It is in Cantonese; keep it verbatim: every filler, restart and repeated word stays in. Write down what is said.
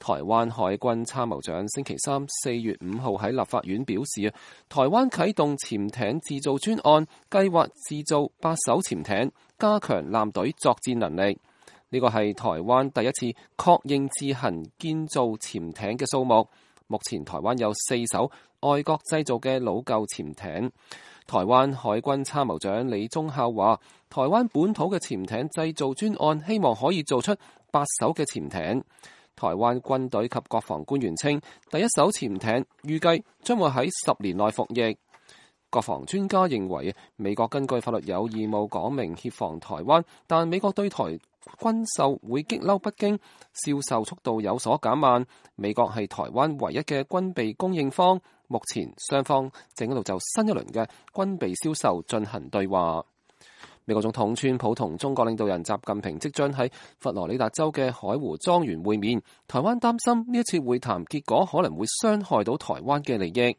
台灣海軍參謀長星期三四月五號喺立法院表示，台灣啟動潛艇自造專案，計劃自造八艘潛艇，加強艦隊作戰能力。呢個係台灣第一次確認自行建造潛艇嘅數目。目前台灣有四艘外國製造嘅老舊潛艇。台灣海軍參謀長李宗孝話，台灣本土嘅潛艇製造專案希望可以做出八艘嘅潛艇。台灣軍隊及國防官員稱，第一艘潛艇預計將會喺十年內服役。國防專家認為，美國根據法律有義務講明協防台灣，但美國對台軍售會激嬲北京，銷售速度有所減慢。美國係台灣唯一嘅軍備供應方，目前雙方正喺度就新一輪嘅軍備銷售進行對話。美國總統川普同中國領導人習近平即將喺佛羅里達州嘅海湖莊園會面，台灣擔心呢一次會談結果可能會傷害到台灣嘅利益。